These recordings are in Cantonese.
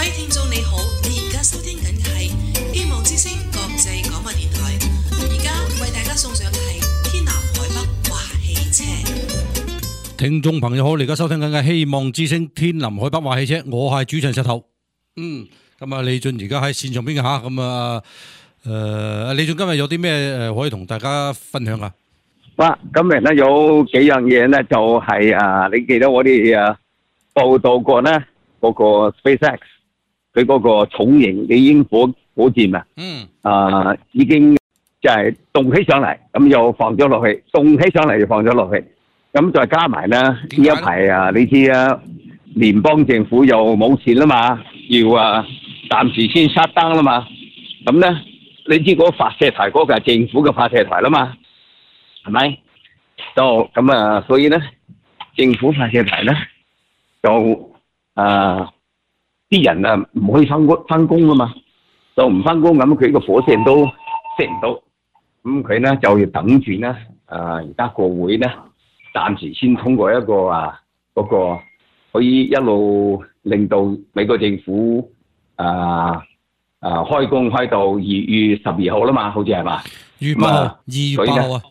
位聽眾你好，你而家收聽緊嘅係希望之聲國際廣播電台，而家為大家送上嘅係天南海北話汽車。聽眾朋友好，你而家收聽緊嘅希望之聲天南海北話汽車，我係主持人石頭。咁啊，李俊而家喺線上邊嘅吓，咁啊，李俊今日有啲咩可以同大家分享啊？哇！今日咧有幾樣嘢咧，就係你記得我哋報道過咧嗰個 SpaceX 佢嗰個重型嘅鷹火箭啊，已經就係動起上嚟，咁又放咗落去，動起上嚟又放咗落去，咁再加埋咧呢一排你知聯邦政府又冇錢啦嘛，要暫時先熄燈啦嘛，咁咧你知嗰個發射台嗰個係政府嘅發射台啦嘛。係咪？就咁所以咧，政府發射台咧，就啲人唔可以翻工啊嘛，就唔翻工咁，佢個火箭都射唔到，咁佢咧就要等住咧，而家個會咧暫時先通過一個嗰個可以一路令到美國政府開工開到2月12號啦嘛，好似係嘛？2月8號，2月8號啊。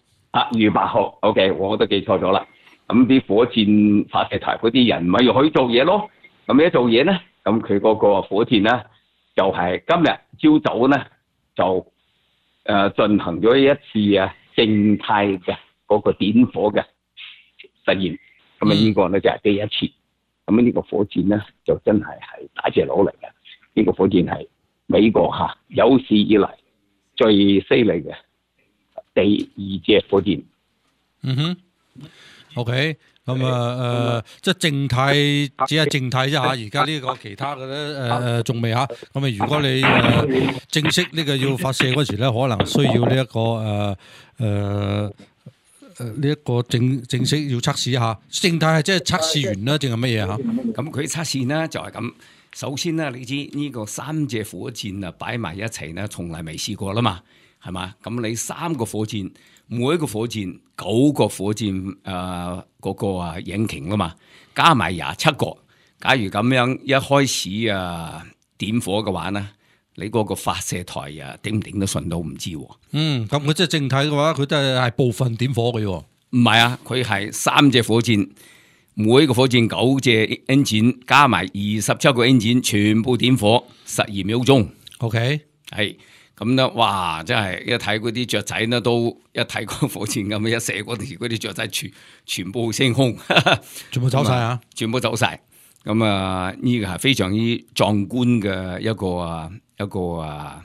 2月8號 ，OK， 我都記錯咗啦。咁啲火箭發射台嗰啲人咪要去做嘢咯。咁一做嘢咧，咁佢嗰個火箭咧就係今日朝早咧就進行咗一次靜態嘅嗰個點火嘅實驗。咁呢個咧就係第一次。咁呢個火箭咧就真係大隻佬嚟嘅。呢個火箭係美國有史以嚟最犀利嘅第2隻火箭。OK， 咁即係靜態，只係靜態啫嚇。而家呢個其他嘅咧仲未嚇。咁如果你正式呢個要發射嗰時咧，可能需要呢一個正式要測試一下。靜態係即係測試完啦，定係乜嘢嚇？咁佢測試呢就係咁。首先咧，你知呢個3隻火箭擺埋一齊咧，從來未試過啦嘛。係嘛？咁你3個火箭，每一個火箭9個火箭嗰個引擎啦嘛，加埋27個。假如咁樣一開始點火嘅話咧，你嗰個發射台頂唔頂得順都唔知喎。咁佢即係靜態嘅話，佢都係部分點火嘅喎。唔係啊，佢係3隻火箭，每一個火箭9隻 engine 加埋27個 engine 全部點火12秒鐘。OK， 係。咁咧，哇！真係一睇嗰啲雀仔咧，都一睇個火箭咁一射嗰啲雀仔全部升空，全部走晒啊！全部走晒。咁呢個係非常之壯觀嘅一個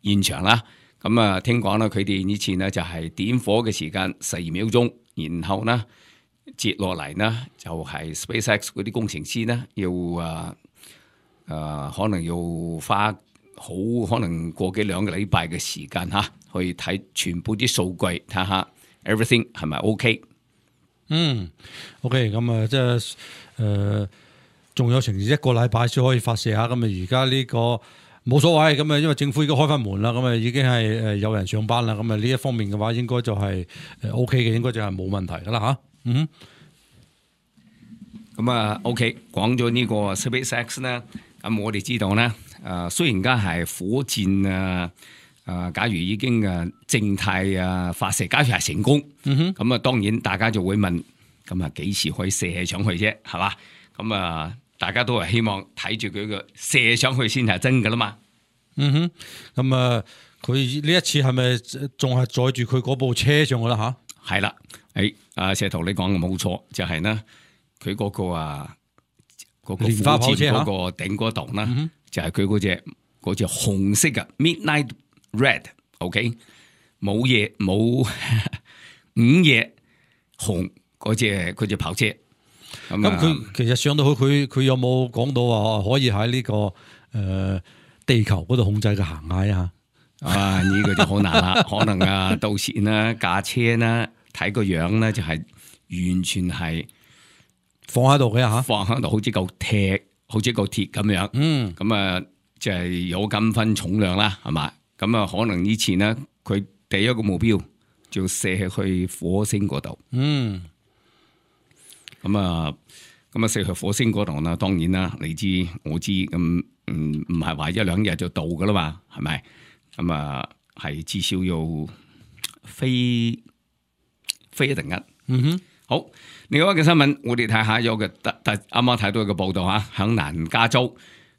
現場啦。咁聽講咧，佢哋以前咧就係點火嘅時間12秒鐘，然後咧接落嚟呢，就係 SpaceX 嗰啲工程師咧要可能要花可能過幾2個禮拜嘅時間去睇全部啲數據，睇下 everything 係咪 OK。OK， 咁即係仲有成1個禮拜先可以發射下。咁而家呢個冇所謂，咁因為政府已經開翻門啦，咁已經係有人上班啦。咁呢一方面嘅話，應該就係OK 嘅，應該就係冇問題噶啦吓。咁OK， 講咗呢個 SpaceX 咧，咁我哋知道咧。雖然而家係火箭假如已經靜態發射，假如係成功，咁當然大家就會問，咁幾時可以射上去啫？係嘛？咁大家都係希望睇住佢個射上去先係真㗎啦嘛。咁佢呢一次係咪仲係載住佢嗰部車上去啦？吓，係啦，石頭你講嘅冇錯，就係呢，佢嗰個嗰個蓮花跑車嗰個頂嗰度啦。就係佢嗰隻紅色嘅 Midnight Red，OK， 冇嘢冇午夜紅嗰隻跑車。咁佢其實上到去，佢有冇講到話可以喺呢個地球嗰度控制嘅行嗌啊？呢個就好難啦，可能到時呢架車呢睇個樣呢就係完全係放喺度嘅嚇，放喺度好似嚿鐵咁樣，咁就係有咁分重量啦，係嘛？咁可能以前咧，佢第一個目標就射去火星嗰度。咁咁啊，射去火星嗰度啦，當然啦，你知我知，咁唔係話一兩日就到噶啦嘛，係咪？咁啊，係至少要飛一定日。嗯哼，好，另外一個新聞，我哋睇下有個啱啱睇到一個報道嚇，響南加州，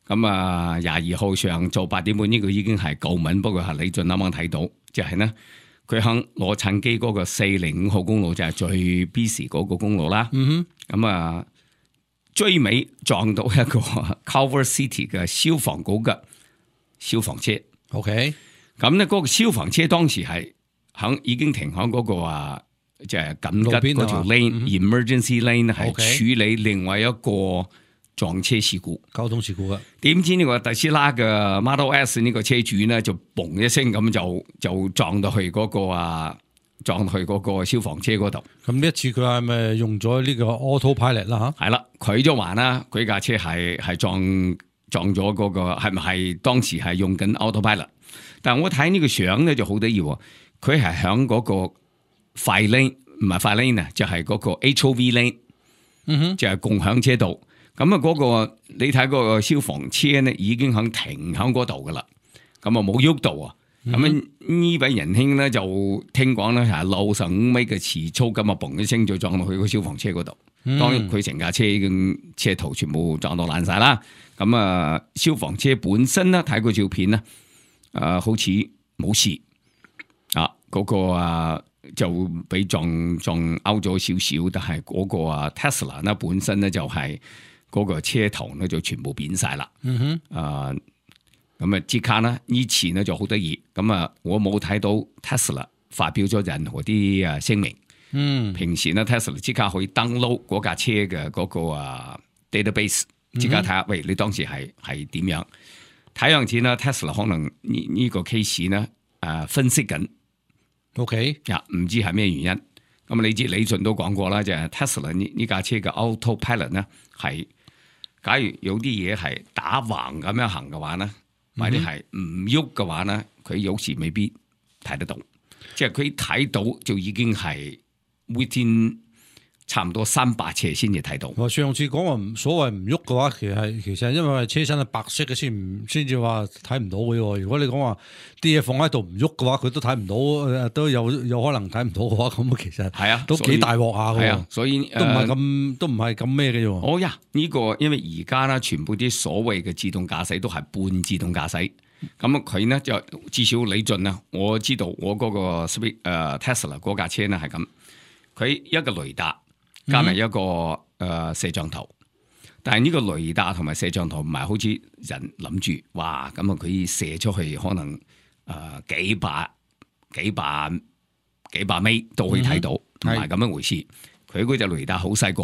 咁啊22號上晝8點半呢個已經係舊聞，不過係李俊啱啱睇到，就係呢，佢響洛杉磯嗰個405號公路就係最 busy 嗰個公路啦。嗯哼，咁啊追尾撞到一個 Culver City 嘅消防局嘅消防車。OK，咁咧嗰個消防車當時係已經停響嗰個即係緊急嗰條 lane、emergency lane 係處理另外一個撞車事故、交通事故嘅。點知呢個特斯拉嘅 Model S 呢個車主咧就嘣一聲咁就撞到去嗰個消防車嗰度。咁呢一次佢係咪用咗呢個 autopilot 啦？係啦，佢就話啦，佢架車係撞咗嗰個係咪係當時係用緊 autopilot？ 但係我睇呢個相咧就好得意喎，佢係響嗰個快 lane 唔係快 lane 啊，就係嗰個 HOV lane， 就係共享車道。咁啊嗰個你睇嗰個消防車咧已經響停響嗰度噶啦，咁啊冇喐到啊。咁呢位仁兄咧就聽講咧係65米嘅時速，咁啊嘣一聲就撞到去個消防車嗰度。當然佢成架車嘅車頭全部撞到爛晒啦。咁啊消防車本身咧睇個照片咧，好似冇事啊，嗰個就俾撞勾咗少少，但係嗰個Tesla 咧本身咧就係嗰個車頭咧就全部扁晒啦。咁即刻咧呢次咧就好得意，咁我冇睇到 Tesla 發表咗任何啲聲明。平時咧 Tesla 即刻可以 download 嗰架車嘅嗰個database， 即刻睇下，喂，你當時係點樣？睇樣子咧 Tesla 可能呢個 case 咧分析緊。OK， 唔知係咩原因。咁你知李俊都講過啦，就係 Tesla 呢架車嘅 autopilot 咧係，假如有啲嘢係打橫咁樣行嘅話咧，或者係唔喐嘅話咧，佢有時未必睇得到。即係佢睇到就已經係 within 差唔多300尺先至睇到。我上次講話所謂唔喐嘅話，其實因為車身係白色嘅先至話睇唔到嘅喎。如果你講話啲嘢放喺度唔喐嘅話，佢都睇唔到，都有可能睇唔到嘅話，咁其實係啊，都幾大鑊下嘅。所以都唔係咁咩嘅啫。哦呀，呢個因為而家咧全部啲所謂嘅自動駕駛都係半自動駕駛。咁佢呢就至少李俊啊，我知道我嗰個 Tesla 嗰架車咧係咁，佢一個雷達加埋一個攝像頭，但係呢個雷達同埋攝像頭唔係好似人諗住，哇咁啊佢射出去可能幾百米都可以睇到，唔係咁樣回事。佢嗰隻雷達好細個，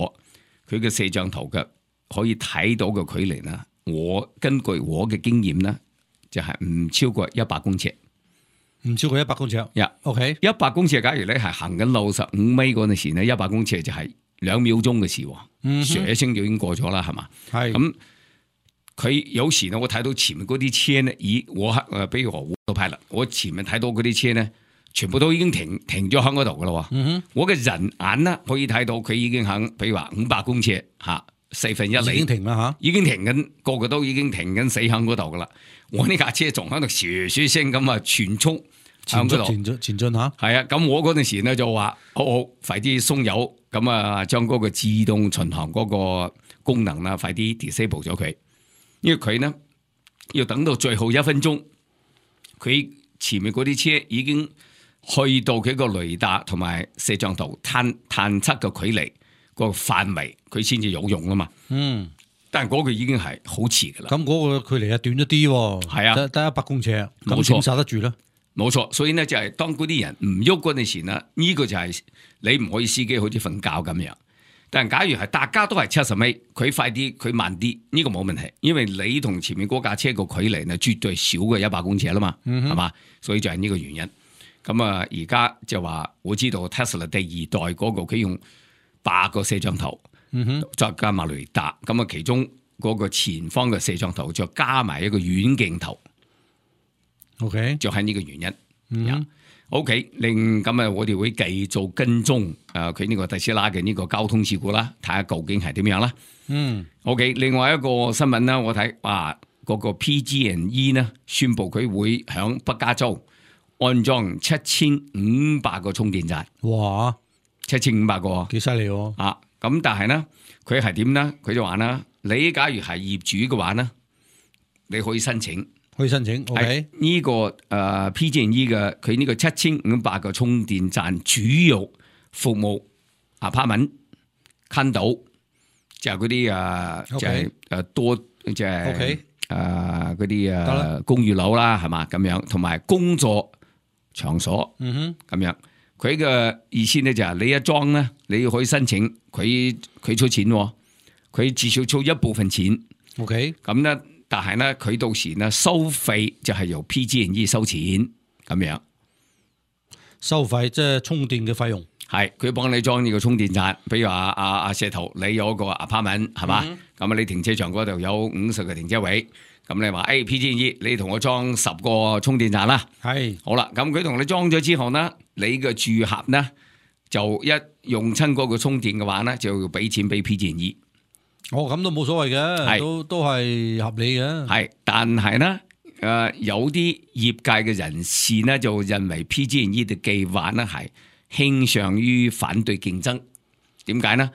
佢嘅攝像頭嘅可以睇到嘅距離呢，我根據我嘅經驗呢，就係唔超過100公尺，唔超過100公尺。OK， 100公尺，假如你係行緊65米嗰陣時呢，100公尺就係2秒鐘嘅事，唰一聲就已經過咗啦，係嘛？係咁，佢有時呢，我睇到前面嗰啲車呢，比如我派啦，我前面睇到嗰啲車呢，全部都已經停咗喺嗰度噶啦。我嘅人眼呢，可以睇到佢已經喺，比如話500公尺4分1厘已經停啦嚇，已經停緊，個個都已經停緊死喺嗰度噶啦。我呢架車仲喺度唰聲咁全速前進嚇。係啊，咁我嗰陣時呢就話好快啲鬆油，咁啊將嗰個自動巡航嗰個功能啦，快啲 disable 咗佢，因為佢呢要等到最後1分鐘，佢前面嗰啲車已經去到佢個雷達同埋攝像頭探測嘅距離個範圍，佢先至有用啊嘛。但係嗰個已經係好遲噶啦。咁嗰個距離係短咗啲喎。係啊，得100公尺，咁點剎得住咧？冇錯，所以呢，就係當嗰啲人唔喐嗰陣時呢，呢個就係你唔可以司機好似瞓覺咁樣。但係假如係大家都係70米，佢快啲，佢慢啲，呢個冇問題，因為你同前面嗰架車個距離呢，絕對少過100公尺啦嘛，係嘛？所以就係呢個原因。咁啊，而家就話我知道 Tesla 第2代嗰個佢用8個攝像頭。再加埋雷達，咁啊，其中嗰個前方嘅攝像頭再加埋一個遠鏡頭，OK， 就係呢個原因。OK，咁啊，我哋會繼續跟蹤佢呢個特斯拉嘅呢個交通事故啦，睇下究竟係點樣啦。OK， 另外一個新聞啦，我睇嗰個 PG&E 呢宣布佢會響北加州安裝7500個充電站。哇，7500個，幾犀利喎！咁但係呢，佢係點呢？佢就話啦，你假如係業主嘅話呢，你可以申請。OK， 呢個PG&E 嘅佢呢個7500個充電站主要服務apartment condo，就係嗰啲就係多即係嗰啲公寓樓啦，係嘛咁樣，同埋工作場所咁樣。佢嘅意思咧就係你一裝咧，你可以申請，佢出錢，佢至少出一部分錢。OK， 咁咧。但係咧，佢到時咧收費就係由 PG&E 收錢咁樣，收費即係充電嘅費用，係佢幫你裝呢個充電站。比如話阿石頭，你有個 apartment 係嘛，咁你停車場嗰度有50個停車位，咁你話PG&E 你同我裝10個充電站啦，係好啦，咁佢同你裝咗之後呢，你嘅住客呢就一用親嗰個充電嘅話呢，就要俾錢俾 PG&E。咁都冇所謂嘅，都係合理嘅。係，但係呢，有啲業界嘅人士呢，就認為 PG&E 嘅計劃呢係傾向於反對競爭。點解呢？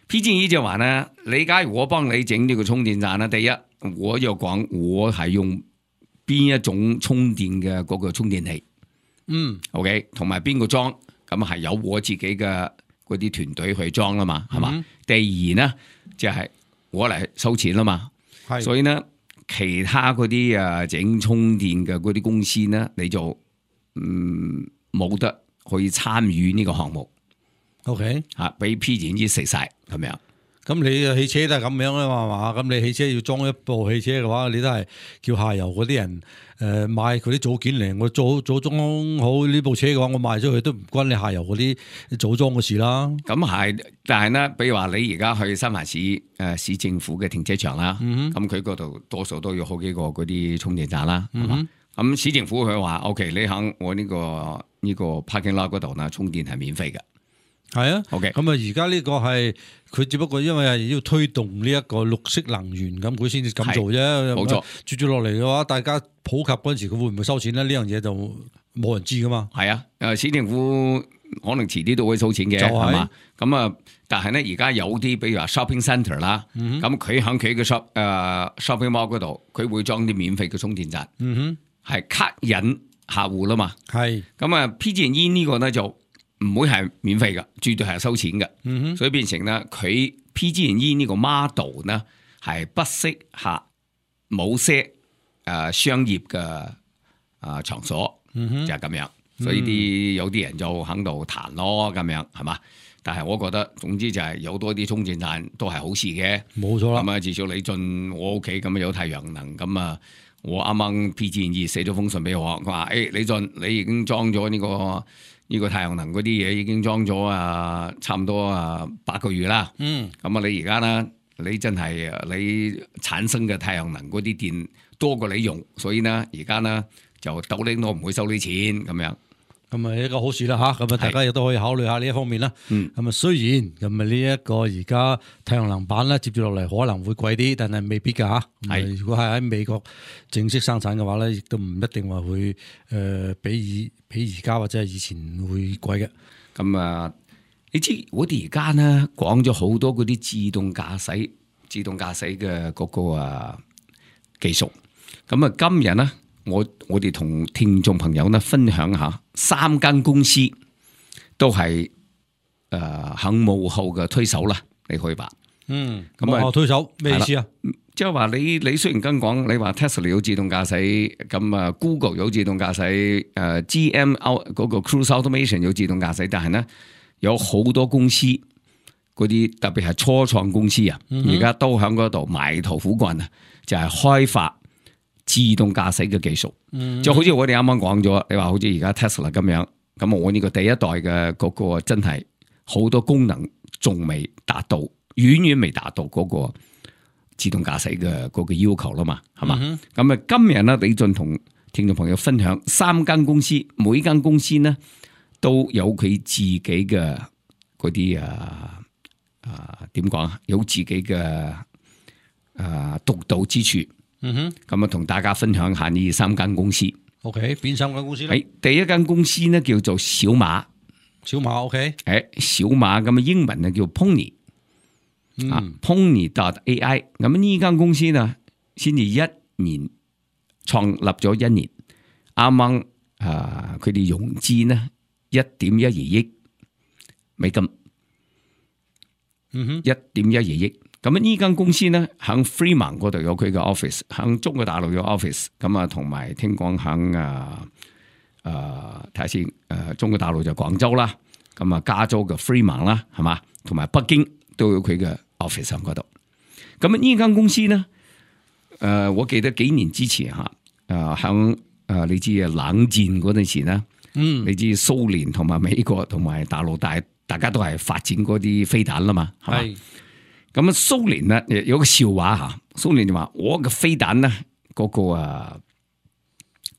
PG&E 就話呢，你假如我幫你整呢個充電站呢，第一我就講我係用邊一種充電嘅嗰個充電器，OK， 同埋邊個裝，咁係有我自己嘅嗰啲團隊去裝啦嘛，係嘛？第二呢，就係我嚟收錢啦嘛，所以呢，其他嗰啲整充電嘅嗰啲公司呢，你就冇得可以參與呢個項目。OK， 俾 PG&E 食晒咁樣。咁你汽車都係咁樣啊嘛，咁你汽車要裝一部汽車嘅話，你都係叫下游嗰啲人買佢啲組件嚟，我組裝好呢部車嘅話，我賣咗佢都唔關你下游嗰啲組裝嘅事啦。咁係，但係呢，比如話你而家去新華市市政府嘅停車場啦，咁佢嗰度多數都有好幾個嗰啲充電站啦，係嘛？咁市政府佢話 OK， 你喺我呢個 parking lot 嗰度呢，充電係免費嘅。係啊 ，OK， 咁啊，而家呢個係佢只不過因為係要推動呢一個綠色能源，咁佢先至咁做啫。冇錯，接住落嚟嘅話，大家普及嗰陣時，佢會唔會收錢咧？呢樣嘢就冇人知噶嘛。係啊，市政府可能遲啲都會收錢嘅，係嘛？咁啊，但係咧而家有啲，比如話 shopping centre 啦，咁佢喺佢嘅 shopping mall 嗰度，佢會裝啲免費嘅充電站，係吸引客戶啦嘛。係咁啊 ，PG&E 呢個咧就唔會係免費嘅，絕對係收錢嘅，所以變成咧佢 PG&E 呢個 model 呢係不適合某些商業嘅場所，就係咁樣。所以有啲人就喺度彈咯，咁樣係嘛？但係我覺得總之就係有多啲充電站都係好事嘅，冇錯啦。咁啊，至少你進我屋企咁有太陽能，咁啊，我啱啱 PG&E 寫咗封信俾我，佢話你進你已經裝咗呢個太陽能嗰啲嘢已經裝咗差唔多8個月啦。咁啊，你而家呢，你真係你產生嘅太陽能嗰啲電多過你用，所以呢，而家呢就斗零都唔會收你錢咁樣。咁啊，一個好事啦嚇。咁啊，大家亦都可以考慮下呢一方面啦。咁啊，雖然咁啊呢一個而家太陽能板咧接住落嚟可能會貴啲，但係未必㗎嚇。係，如果係喺美國正式生產嘅話咧，亦都唔一定話會比而家或者係以前會貴嘅。咁啊，你知我哋而家呢講咗好多嗰啲自動駕駛嘅嗰個技術。咁啊，今日呢，我哋同聽眾朋友呢分享下3間公司都係喺幕後嘅推手啦，你可以話。幕後推手咩意思啊？即係話你雖然跟講，你話 Tesla 有自動駕駛，咁啊 Google 有自動駕駛，GM 嗰個 Cruise Automation 有自動駕駛，但係呢有好多公司嗰啲特別係初創公司啊，而家都喺嗰度埋頭苦幹啊，就係開發自動駕駛嘅技術。就好似我哋啱啱講咗，你話好似而家 Tesla 咁樣，咁我呢個第一代嘅嗰個真係好多功能仲未達到，遠遠未達到嗰個自動駕駛嘅嗰個要求啦嘛，係嘛？咁啊，今日咧李俊同聽眾朋友分享3間公司，每間公司呢都有佢自己嘅嗰啲點講啊，有自己嘅獨到之處。咁啊，同大家分享下呢3間公司。OK， 邊3間公司咧？第一間公司呢叫做小馬。小馬 OK， 小馬咁嘅英文呢叫 Pony，Pony.ai。咁呢間公司呢先至1年創立咗1年，啱啱佢哋融資呢1.12億美金，1.12億。咁呢間公司呢喺 Fremont 嗰度有佢嘅 office， 喺中國大陸有 office， 咁啊同埋聽講喺睇下先，中國大陸就廣州啦，咁啊加州嘅 Fremont 啦，係嘛，同埋北京都有佢嘅 office 喺嗰度。咁呢間公司呢，我記得幾年之前喺你知冷戰嗰陣時咧，你知蘇聯同埋美國同埋大陸大家都係發展嗰啲飛彈啦嘛，係嘛？咁啊蘇聯呢有個笑話嚇，蘇聯就話我嘅飛彈呢嗰個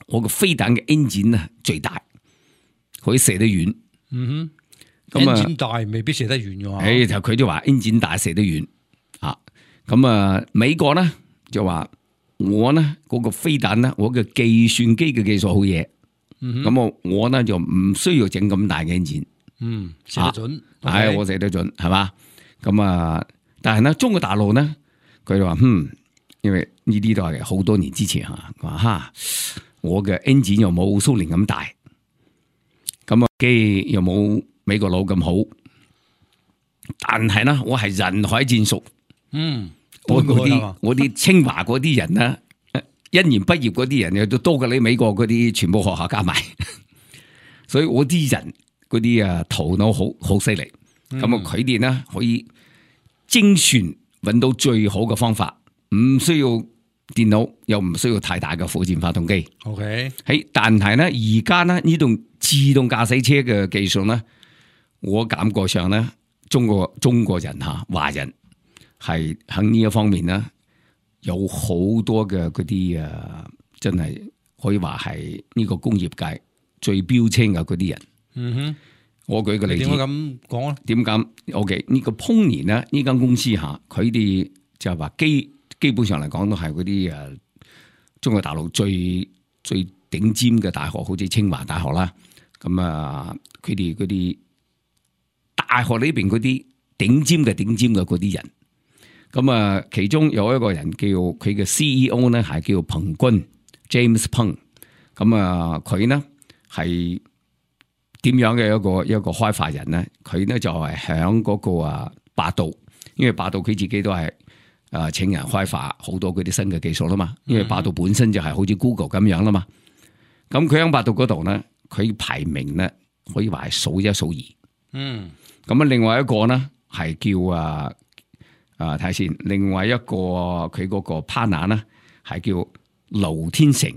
我個飛彈嘅 engine 呢最大，可以射得遠。engine 大未必射得遠嘅。就佢就話 engine 大射得遠啊。咁美國呢就話我呢嗰個飛彈呢，我嘅計算機嘅技術好嘢。咁我呢就唔需要整咁大嘅 engine。射得準。係我射得準，係嘛？咁但係呢中國大陸呢，佢就話因為呢啲都係好多年之前嚇，佢話我嘅 engine 又冇蘇聯咁大，咁機又冇美國佬咁好，但係呢，我係人海戰術。我啲清華嗰啲人呢，1年畢業嗰啲人又都多過你美國嗰啲全部學校加埋，所以我啲人嗰啲頭腦好犀利。咁佢哋呢可以精算揾到最好嘅方法，唔需要電腦，又唔需要太大嘅火箭發動機。OK， 但係呢，而家呢呢種自動駕駛車嘅技術呢，我感覺上呢，中國人華人係喺呢一方面呢，有好多嘅嗰啲真係可以話係呢個工業界最標青嘅嗰啲人。我舉個例子，點解咁講咧？點解 ？OK， 呢個 Pony 呢間公司佢哋就係話基本上嚟講都係嗰啲中國大陸最頂尖嘅大學，好似清華大學啦。咁佢哋嗰啲大學呢邊嗰啲頂尖嘅嗰啲人，咁其中有一個人叫佢嘅 CEO 呢係叫彭軍 James Peng。咁佢呢係點樣嘅一個開發人呢？佢呢就係響嗰個百度，因為百度佢自己都係請人開發好多嗰啲新嘅技術啦嘛。因為百度本身就係好似 Google 咁樣啦嘛。咁佢喺百度嗰度呢，佢排名呢可以話係數1數2。咁另外一個呢係叫睇下先，另外一個佢嗰個 partner 呢係叫盧天成。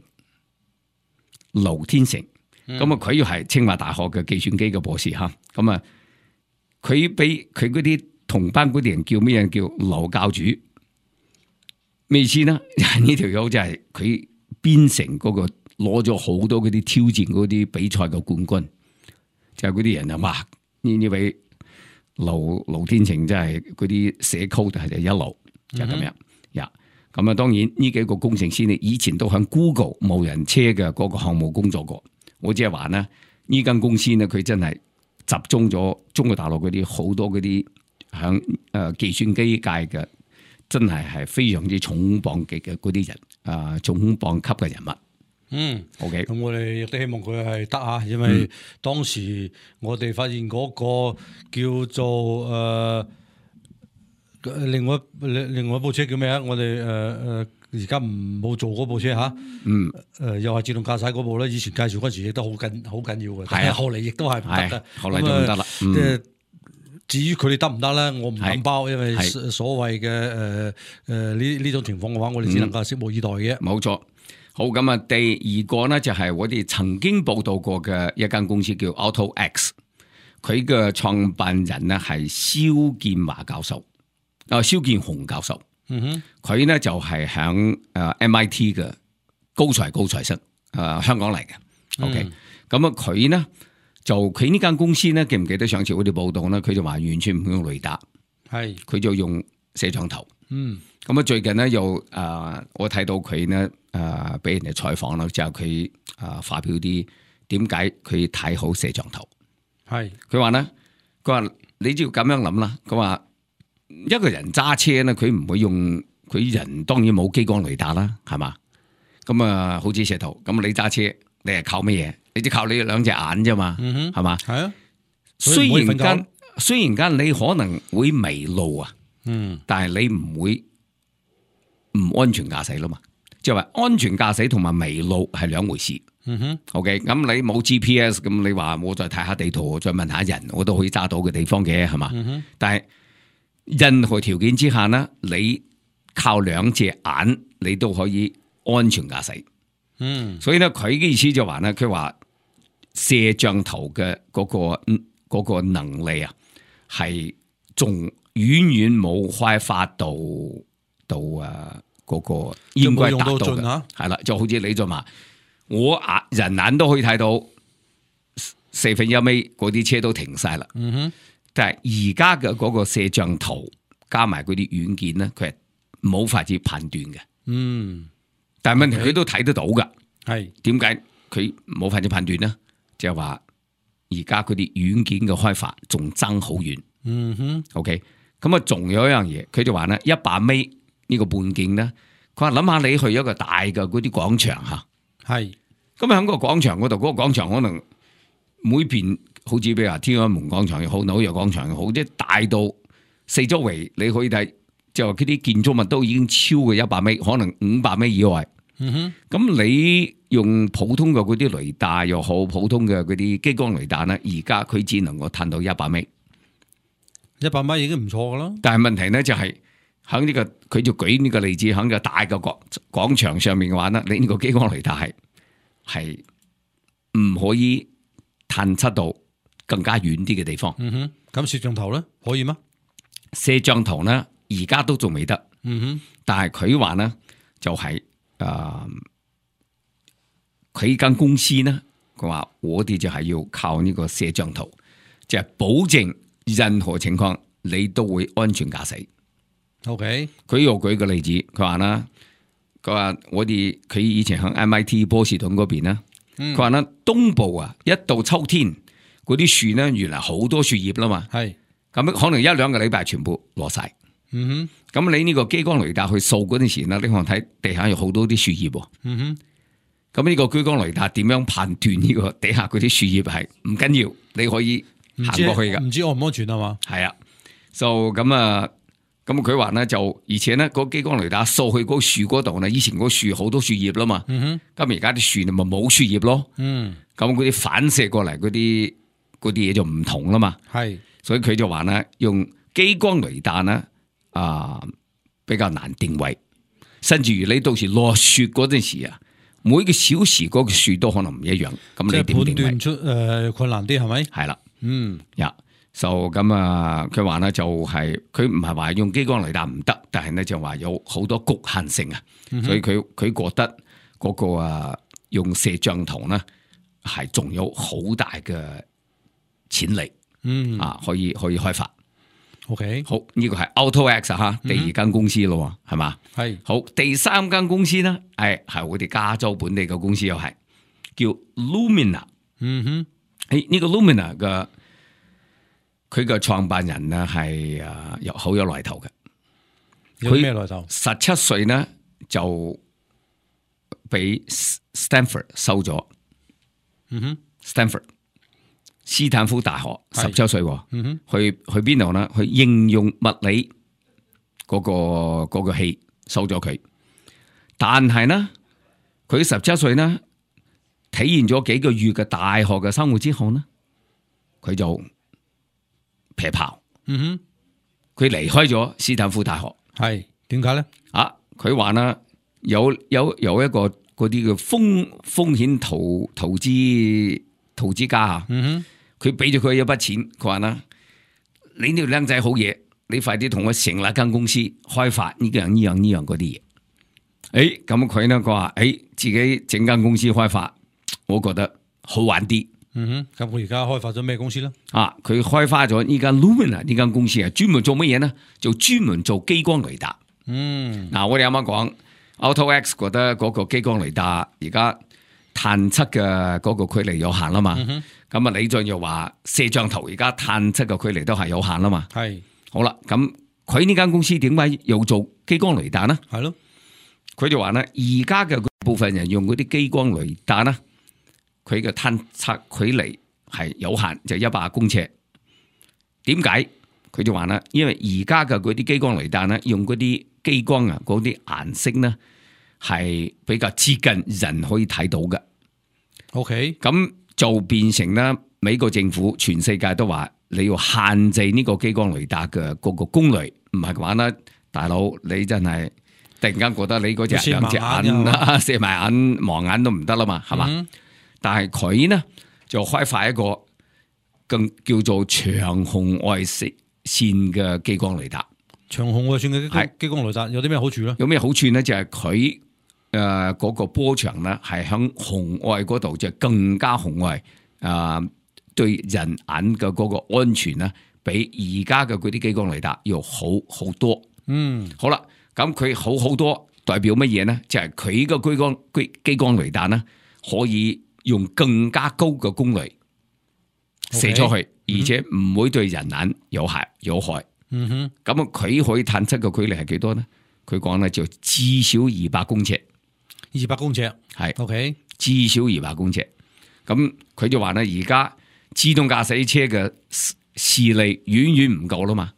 咁佢又係清華大學嘅計算機嘅博士嚇，咁佢俾佢嗰啲同班嗰啲人叫咩人？叫劉教主。咩意思呢？呢條友就係佢編成嗰個攞咗好多嗰啲挑戰嗰啲比賽嘅冠軍，就係嗰啲人哇！呢位劉天成真係嗰啲寫 code 係一流，就係咁樣呀。咁當然呢幾個工程師呢，以前都喺 Google 無人車嘅嗰個項目工作過。我只係話呢間公司呢，佢真係集中咗中國大陸嗰啲好多嗰啲響計算機界嘅，真係非常之重磅級嘅嗰啲人，重磅級嘅人物。OK。咁我哋亦都希望佢係得啊，因為當時我哋發現嗰個叫做另外一部車叫咩啊？我哋而家冇做嗰部車嚇，又係自動駕駛嗰部咧。以前介紹嗰時亦都好緊要嘅，但係後嚟亦都係唔得嘅。後嚟就唔得啦。至於佢哋得唔得咧，我唔敢包，因為所謂嘅呢種情況嘅話，我哋只能夠拭目以待嘅。冇錯。好，咁第二個呢，就係我哋曾經報道過嘅一間公司叫 AutoX， 佢嘅創辦人呢係蕭建華教授，蕭建雄教授。佢呢就係響MIT 嘅高材生，香港嚟嘅。OK， 咁啊佢呢就佢呢間公司呢，記唔記得上次我哋報道呢？佢就話完全唔用雷達，係佢就用攝像頭。嗯，咁啊最近呢，又我睇到佢呢俾人哋採訪啦，就係佢發表啲點解佢睇好攝像頭。係佢話呢，佢話你只要咁樣諗啦。佢話一個人揸車呢，佢唔會用佢人當然冇激光雷達啦，係嘛？咁啊，好似石頭咁，你揸車你係靠乜嘢？你只靠你兩隻眼啫嘛，係嘛？係啊，雖然間你可能會迷路啊，但係你唔會唔安全駕駛啦嘛。即係話安全駕駛同埋迷路係兩回事。OK， 咁你冇 GPS， 咁你話我再睇下地圖，我再問下人，我都可以揸到嘅地方嘅，係嘛？但係任何條件之下呢，你靠兩隻眼，你都可以安全駕駛。所以咧，佢嘅意思就話咧，佢話攝像頭嘅嗰個能力啊，係仲遠遠冇開發到嗰個應該達到嘅。係啦，就好似你就話，我人眼都可以睇到1/4嗰啲車都停晒啦。但係而家嘅嗰個攝像頭加埋嗰啲軟件咧，佢係冇法子判斷嘅。但係問題佢都睇得到噶。係點解佢冇法子判斷呢？就係話而家嗰啲軟件嘅開發仲爭好遠。OK， 咁啊，仲有一樣嘢，佢就話咧100米呢個半徑咧，佢話諗下你去一個大嘅嗰啲廣場吓，係咁喺個廣場嗰度，嗰個廣場可能每邊好似譬如話天安門廣場又好，紐約廣場又好，即係大到四周圍你可以睇，就話嗰啲建築物都已經超過100米，可能500米以外。咁你用普通嘅嗰啲雷達又好，普通嘅嗰啲激光雷達咧，而家佢只能夠探到100米，100米已經唔錯噶啦。但係問題咧就係喺呢個，佢就舉呢個例子，喺個大嘅廣場上面嘅話咧，你呢個激光雷達係唔可以探測到更加遠啲嘅地方。咁攝像頭咧可以嗎？攝像頭咧而家都仲未得。但係佢話咧就係。佢間公司呢，佢話我哋就係要靠呢個攝像頭，就係保證任何情況你都會安全駕駛。OK， 佢又舉個例子，佢話啦，佢話佢以前喺 MIT 波士頓嗰邊啦，佢話啦東部啊，一到秋天嗰啲樹呢，原來好多樹葉啦嘛，係咁可能1-2個禮拜全部落晒。咁你呢個激光雷達去掃嗰陣時咧，你可能睇地下有好多啲樹葉。咁呢個激光雷達點樣判斷呢個地下嗰啲樹葉係唔緊要，你可以行過去噶。唔知安唔安全啊嘛？係啊，就咁啊，咁佢話咧就，而且咧個激光雷達掃去嗰個樹嗰度咧，以前嗰個樹好多樹葉啦嘛。咁而家啲樹咪冇樹葉咯。咁嗰啲反射過嚟嗰啲嘢就唔同啦嘛。係，所以佢就話咧用激光雷達咧。比較難定位，甚至於你到時落雪嗰陣時啊，每個小時嗰個樹都可能唔一樣，咁你點定位？判斷出困難啲係咪？係啦，就咁啊，佢話咧就係佢唔係話用激光雷達唔得，但係咧就話有好多局限性啊，所以佢覺得嗰個用攝像頭咧係仲有好大嘅潛力，可以開發。OK， 好，呢個係 AutoX 吓，第二間公司咯，係嘛？係好，第三間公司咧，係我哋加州本地嘅公司，又係叫 Lumina。呢個 Lumina 嘅佢嘅創辦人咧係好有來頭嘅。有咩來頭？17歲咧就俾 Stanford 收咗。Stanford。斯坦福大學17歲，去邊度呢？去應用物理嗰個系收咗佢，但係呢，佢17歲呢，體驗咗幾個月嘅大學嘅生活之後呢，佢就撇炮，佢離開咗斯坦福大學。係點解呢？佢話呢有一個嗰啲嘅風險投資家啊。佢俾咗佢一筆錢，佢話啦：你呢個僆仔好嘢，你快啲同我成立間公司，開發呢樣嗰啲嘢。咁佢呢，佢話：自己整間公司開發，我覺得好玩啲。咁佢而家開發咗咩公司咧？佢開發咗呢間 Lumina 呢間公司係專門做乜嘢呢？就專門做激光雷達。我哋啱啱講 AutoX 覺得嗰個激光雷達而家探測嘅嗰個距離有限啦嘛。咁李俊又話攝像頭而家探測嘅距離都係有限啦嘛。係好啦，咁佢呢間公司點解要做激光雷達呢？係咯，佢就話呢，而家嘅部分人用嗰啲激光雷達呢，佢嘅探測距離係有限，就100公尺。點解？佢就話呢，因為而家嘅嗰啲激光雷達呢，用嗰啲激光啊，嗰啲顏色呢係比較接近人可以睇到嘅。OK，咁就變成咧，美國政府全世界都話你要限制呢個激光雷達嘅嗰個功率，唔係嘅話咧，大佬你真係突然間覺得你嗰隻兩隻眼啊，射埋眼盲眼都唔得啦嘛，係嘛？但係佢呢就開發一個更叫做長紅外線嘅激光雷達。長紅外線嘅激光雷達有啲咩好處咧？有咩好處咧？就係佢嗰個波長咧係響紅外嗰度就更加紅外，對人眼嘅嗰個安全咧，比而家嘅嗰啲激光雷達要好好多。好啦，咁佢好多代表乜嘢咧？就係佢嘅激光雷達咧，可以用更加高嘅功率射出去，而且唔會對人眼有害。咁佢可以探測嘅距離係幾多咧？佢講咧就至少200公尺。200公尺係 OK， 至少200公尺。咁佢就話咧，而家自動駕駛車嘅視力遠遠唔夠啦嘛，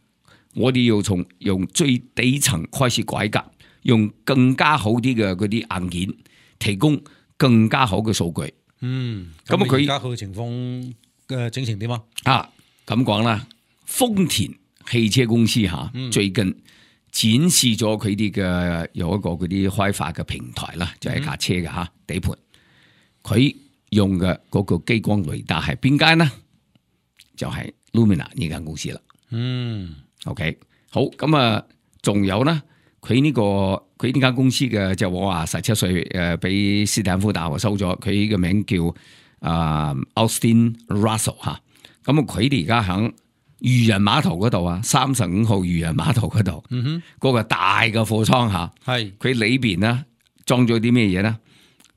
我哋要從用最底層開始改革，用更加好啲嘅嗰啲硬件，提供更加好嘅數據。咁佢而家佢嘅情況嘅整成點啊？咁講啦，豐田汽車公司最近展示咗佢哋嘅有一個嗰啲開發嘅平台啦，就係架車嘅底盤。佢用嘅嗰個激光雷達係邊間呢？就係 Lumina 呢間公司啦。OK， 好，咁仲有呢？佢呢間公司嘅就我話17歲俾斯坦福大學收咗，佢嘅名叫Austin Russell 咁佢哋而家響漁人碼頭嗰度35號漁人碼頭嗰度，嗰個大嘅貨倉係佢裏邊呢裝咗啲咩嘢咧？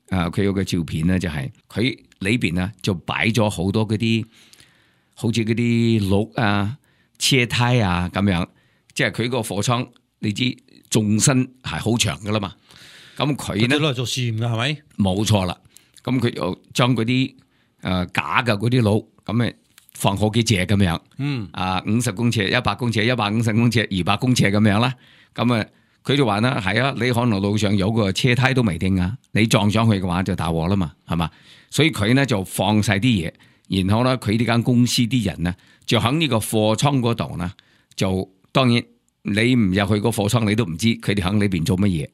佢有個照片咧，就係佢裏邊呢就擺咗好多嗰啲好似嗰啲轆車胎咁樣，即係佢個貨倉你知縱深係好長噶啦嘛。咁佢呢攞嚟做試驗噶係咪？冇錯啦。咁佢又將嗰啲假嘅嗰啲轆咁放好幾隻咁樣，50公尺、100公尺、150公尺、200公尺咁樣啦。咁佢就話啦，係啊，你可能路上有個車胎都未定啊，你撞上去嘅話就大禍啦嘛，係嘛？所以佢呢就放晒啲嘢，然後咧佢呢間公司啲人呢就喺呢個貨倉嗰度呢，就當然你唔入去個貨倉，你都唔知佢哋喺裏邊做乜嘢。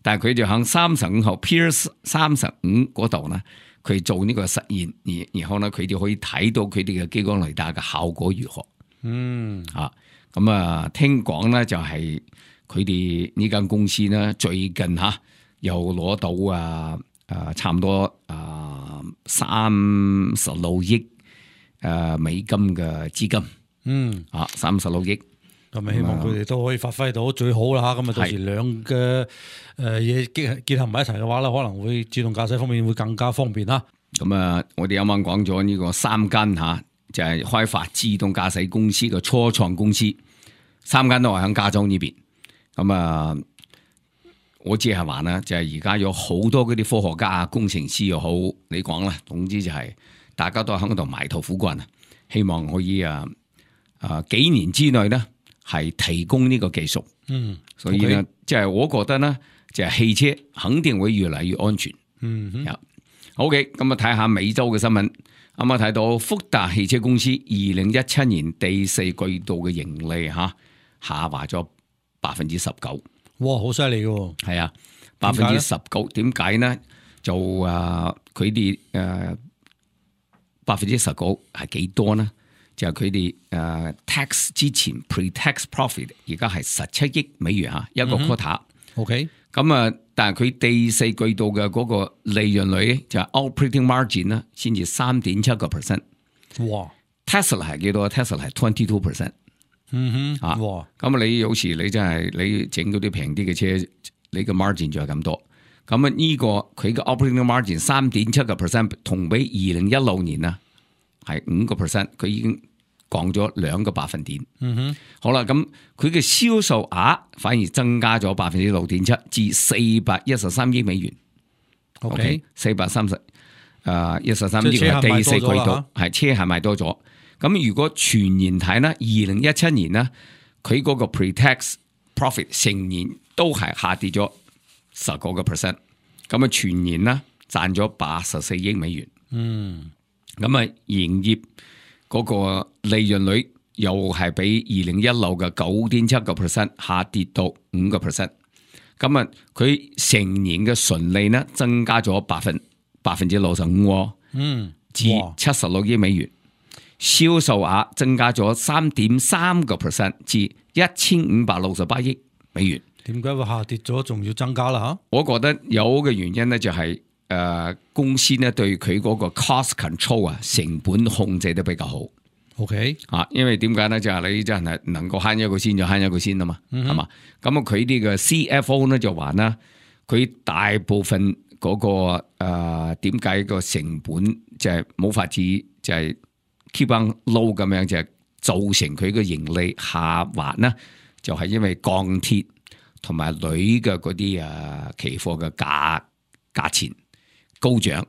但係佢就喺35號 Pier 35嗰度呢。佢做呢個實驗，然後呢，佢哋可以睇到佢哋嘅激光雷達嘅效果如何。聽講呢，就係佢哋呢間公司呢，最近又攞到差唔多36億美金嘅資金。36億。咁希望佢哋都可以發揮到最好啦。咁到時兩嘅嘢結合埋一齊嘅話咧，可能會自動駕駛方面會更加方便啦。咁我哋啱啱講咗呢個3間就係開發自動駕駛公司嘅初創公司，3間都係喺加州呢邊。咁我只係話咧，就係而家有好多嗰啲科學家工程師又好，你講啦，總之就係大家都喺度埋頭苦幹，希望可以幾年之內咧。係提供呢個技術，所以呢，即係我覺得呢，就係汽車肯定會越嚟越安全。OK， 咁睇下美洲嘅新聞，啱啱睇到福特汽車公司2017年第4季度嘅盈利下滑咗19%。哇，好犀利嘅，係啊，19%。點解呢？就佢哋19%係幾多呢？就係佢哋tax 之前 pre-tax profit 而家係17億美元一個 quota， OK，咁啊，但係佢第四季度嘅嗰個利潤率就係 operating margin 啦，先至3.7%。哇 Tesla 係幾多 ？Tesla 係 22%。啊，哇，咁你有時你真係你整嗰啲平啲嘅車，你個 margin 就係咁多。咁啊呢個佢嘅 operating margin 3.7%，同比2016年啊係5%，佢已經降咗2個百分點。好啦，咁佢嘅銷售額反而增加咗6.7%至413億美元。OK， 413億係第四季度，係車係賣多咗。咁如果全年睇呢，2017年呢，佢嗰個 pre-tax profit 成年都係下跌咗10%。咁啊全年呢賺咗84億美元。咁啊營業嗰個利潤率又係比2016嘅9.7% 下跌到5%。咁啊佢成年嘅純利呢增加咗65%，至76億美元。銷售額增加咗3.3%至1568億美元。點解會下跌咗，仲要增加啦？嚇，我覺得有嘅原因咧就係公司咧對佢嗰個 cost control 啊，成本控制得比較好。OK 啊，因為點解咧就係你真係能夠慳一個先就慳一個先啊嘛，係嘛？咁啊佢啲嘅 CFO 咧就話啦，佢大部分嗰個點解個成本就係冇法子就係 keep on low 咁樣，就係造成佢嘅盈利下滑呢，就係因為鋼鐵同埋鋁嘅嗰啲期貨嘅價錢高漲，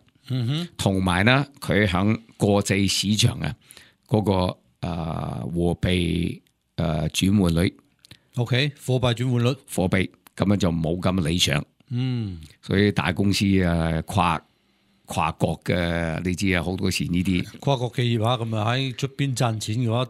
同埋呢佢響國際市場啊嗰個貨幣轉換率 ，OK， 貨幣轉換率，貨幣咁樣就冇咁理想，所以大公司跨國嘅，你知啊，好多時呢啲跨國企業啊，咁啊喺出邊賺錢嘅話，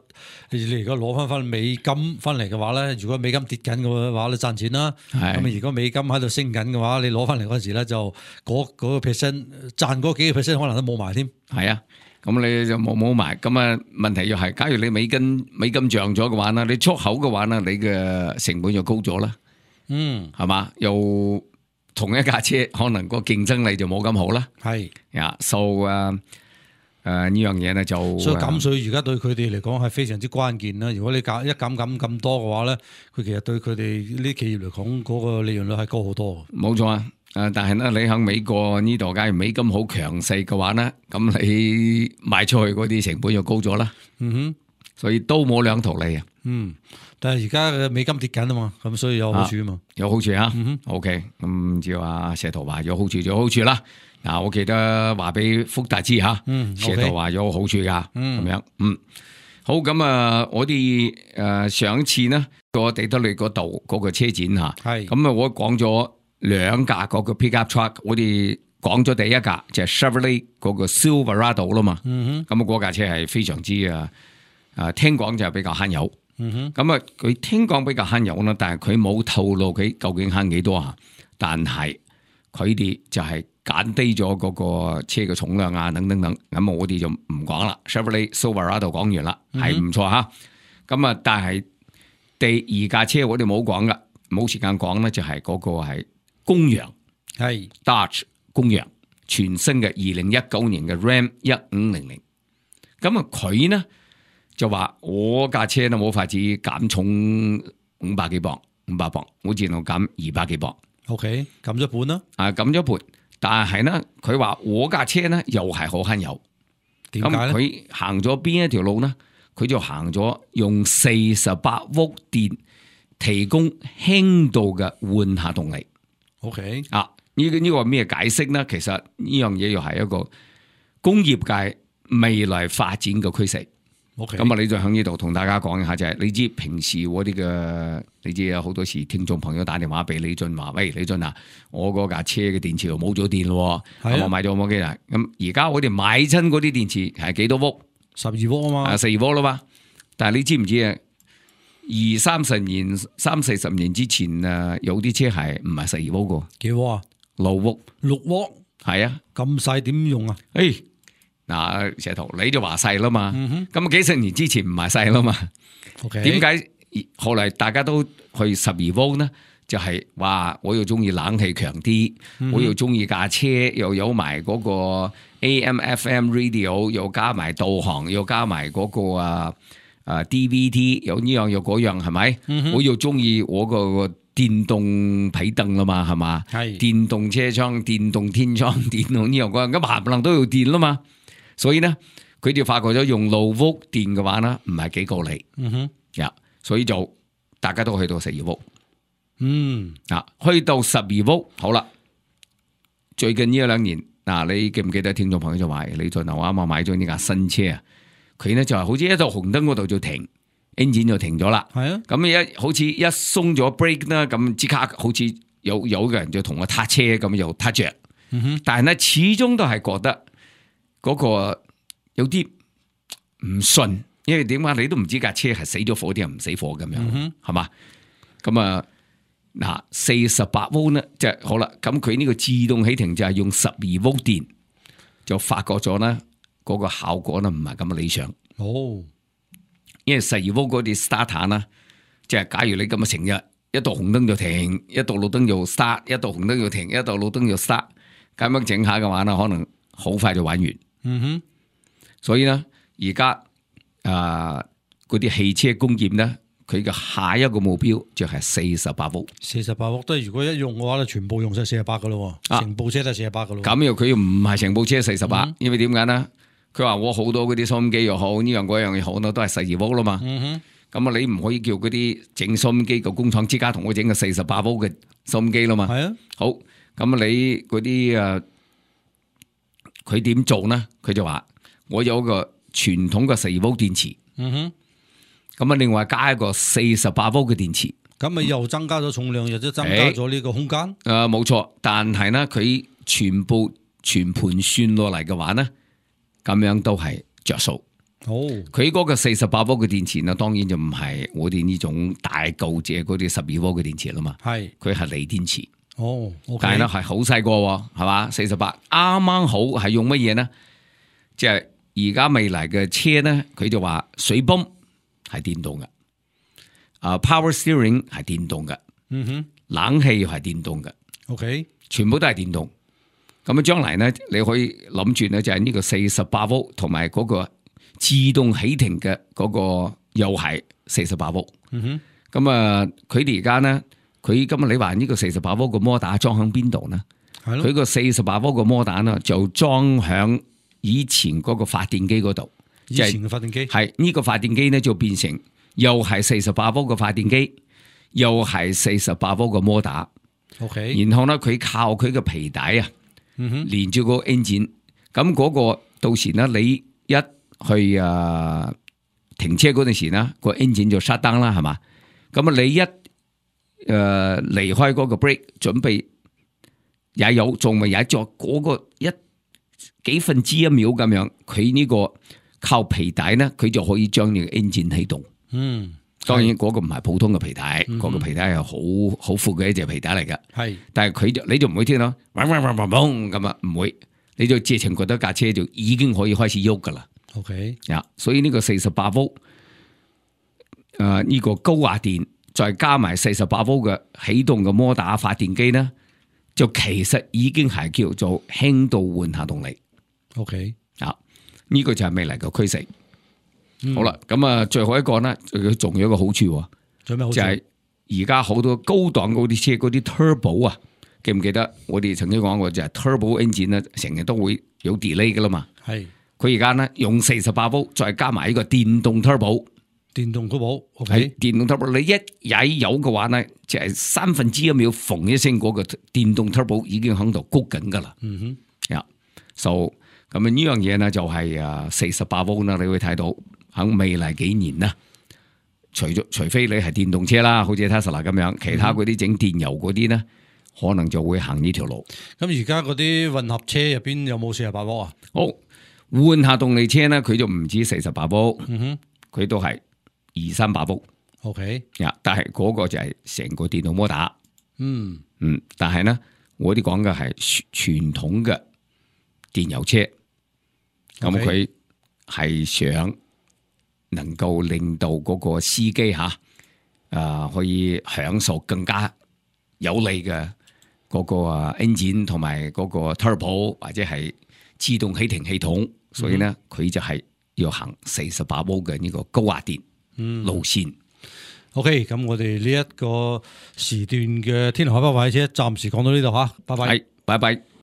你而家攞翻美金翻嚟嘅話咧，如果美金跌緊嘅話，你賺錢啦。咁啊，如果美金喺度升緊嘅話，你攞翻嚟嗰時咧就嗰個 percent 賺嗰幾個 percent 可能都冇埋添。係啊，咁你就冇埋。咁啊，問題又係，假如你美金漲咗嘅話咧，你出口嘅話咧，你嘅成本就高咗啦。係嘛，又。同一架車可能個競爭力就冇咁好啦，係呀，呢樣嘢咧就所以減稅而家對佢哋嚟講係非常之關鍵啦。如果你減咁多嘅話咧，佢其實對佢哋呢啲企業嚟講嗰個利潤率係高好多。冇錯啊，但係咧你喺美國呢度，假如美金好強勢嘅話咧，咁你賣出去嗰啲成本就高咗啦。所以都冇兩頭利啊。但係而家嘅美金跌緊啊嘛，咁所以有好處啊嘛，有好處啊。OK， 咁照阿石頭話有好處就有好處啦。嗱，我記得話俾福達知吓，石頭話有好處噶，咁樣。好，咁啊，我哋上次呢個地德利嗰度嗰個車展吓，係咁啊，我講咗2架嗰個 pickup truck， 我哋講咗第一架就係 Chevrolet 嗰個 Silverado 啦嘛。咁啊，嗰架車係非常之聽講就係比較慳油。咁啊，佢聽講比較慳油啦，但係佢冇透露佢究竟慳幾多啊。但係佢哋就係減低咗嗰個車嘅重量啊，等等等。咁我哋就唔講啦。Chevrolet Silverado 講完啦，係唔錯吓。咁啊，但係第二架車我哋冇講噶，冇時間講咧，就係嗰個係公羊，係 Dodge 公羊全新嘅2019年嘅 Ram 1500。咁啊，佢呢？就話我架車都冇法子減重500幾磅，500磅，我只能減200幾磅。OK， 減咗半啦。減咗半，但係呢，佢話我架車呢又係好慳油。點解咧？佢行咗邊一條路呢？佢就行咗用48伏電提供輕度嘅換下動力。OK，呢個咩解釋呢？其實呢樣嘢又係一個工業界未來發展嘅趨勢。咁啊，你就喺呢度同大家講一下，就係你知平時我啲嘅，你知有好多時聽眾朋友打電話俾李俊話，喂，李俊啊，我嗰架車嘅電池又冇咗電咯，我買咗冇幾耐。咁而家我哋買親嗰啲電池係幾多伏？12伏啊嘛，12伏啦嘛。但係你知唔知啊？30-40年之前有啲車係唔係12伏嘅？幾伏啊？6伏。6伏？係啊。咁細點用啊？嗱，石頭你就話細啦嘛，咁幾十年之前唔係細啦嘛，點解後嚟大家都去12伏呢？就係話我又中意冷氣強啲，我又中意架車又有埋嗰個 AM、FM radio， 又加埋導航，又加埋嗰個DVD， 有呢樣有嗰樣，係咪？我又中意我個電動皮凳啦嘛，係嘛？係電動車窗、電動天窗、電動呢樣嗰樣，咁冚唪唥都要電啦嘛。所以咧，佢哋發覺咗用low volt電嘅話咧，唔係幾夠力。所以就大家都去到12伏。去到12伏，好啦。最近呢2年，你記唔記得聽眾朋友就話你在牛啱啱買咗呢架新車啊？佢咧就係好似一到紅燈嗰度就停，engine就停咗啦。係啊，咁好似一鬆咗 brake 啦，咁即刻好似有個人就同我撻車咁又撻着。但係咧始終都係覺得嗰個有啲唔順，因為點解你都唔知架車係死咗火定係唔死火咁樣，係嘛？咁48伏咧，即係好啦。咁佢呢個自動起停就係用12伏電，就發覺咗咧嗰個效果咧唔係咁理想。因為12伏嗰啲 starter 啦，即係假如你咁嘅成日一到紅燈就停，一到綠燈就 start， 一到紅燈就停，一到綠燈就 start， 咁樣整下嘅話咧，可能好快就玩完。所以咧，而家嗰啲汽車工業咧，佢嘅下一個目標就係48伏。48伏都係如果一用嘅話咧，全部用晒48噶咯，成部車都係48噶咯。咁又佢又唔係成部車48，因為點解咧？佢話我好多嗰啲收音機又好，呢樣嗰樣又好，都係12伏啦嘛。咁你唔可以叫嗰啲整收音機嘅工廠之家同我整個48伏嘅收音機啦嘛。係啊。好，咁你嗰啲佢點做呢？佢就話我有個傳統嘅12伏電池。咁另外加一個48伏嘅電池。咁咪又增加咗重量，又都增加咗呢個空間。冇錯，但係呢，佢全盤算落嚟嘅話呢，咁樣都係着數。佢嗰個48伏嘅電池呢，當然就唔係我哋呢種大舊隻嗰啲12伏嘅電池啦嘛。係，佢係鋰電池。但係咧係好細個，係嘛？48啱啱好係用乜嘢呢？即係而家未來嘅車呢，佢就話水泵係電動嘅，power steering 係電動嘅，冷氣又係電動嘅。全部都係電動。咁將來呢，你可以諗住呢，就係呢個48伏同埋嗰個自動起停嘅嗰個又係48伏。咁佢哋而家呢，佢今日你話呢個48伏個摩打裝喺邊度呢？佢個48伏個摩打呢就裝響以前嗰個發電機嗰度。以前嘅發電機係呢個發電機呢就變成又係48伏嘅發電機，又係48伏嘅摩打。然後呢，佢靠佢嘅皮帶啊。連住個 engine， 咁嗰個到時咧，你一去停車嗰陣時咧，個 engine 就 shut down 啦，係嘛？咁你一離開嗰個 brake， 準備也有仲未踩咗嗰個幾分之一秒咁樣，佢呢個靠皮帶咧，佢就可以將你個 engine 啟動。當然嗰個唔係普通嘅皮帶，嗰個皮帶係好闊嘅一隻皮帶嚟㗎。但係你就唔會聽到嗡嗡嗡嗡嗡咁啊，唔會，你就直情覺得架車就已經可以開始喐㗎啦。所以呢個48伏呢個高壓電，再加埋48伏嘅起動嘅摩打發電機呢，就其實已經係叫做輕度緩下動力。呢個就係未來嘅趨勢。好啦，咁最後一個呢，佢仲有一個好處，就係而家好多高檔嗰啲車嗰啲 turbo 啊，記唔記得我哋曾經講過就係 turbo engine 咧，成日都會有 delay 噶啦嘛。佢而家呢，用48伏，再加埋呢個電動 turbo， 電動 turbo 你一踩油嘅話呢，就係1/3秒縫一聲嗰個電動 turbo 已經喺度谷緊噶啦。so 咁呢樣嘢呢，就係48伏啦，你會睇到。喺未來幾年啦，除非你係電動車啦，好似 Tesla 咁樣，其他嗰啲整電油嗰啲咧，可能就會行呢條路。咁而家嗰啲混合車入邊有冇48伏啊？好，換下動力車咧，佢就唔止48伏，佢都係200-300伏。但係嗰個就係成個電動摩打。但係咧，我哋講嘅係傳統嘅電油車，咁佢係想能夠令到嗰個司機可以享受更加有利嘅嗰個engine 同埋嗰個 turbo 或者係自動起停系統，所以咧佢就係要行48伏嘅呢個高壓電路線。OK， 咁我哋呢一個時段嘅天南海北話汽車暫時講到呢度嚇，拜拜。係，拜拜。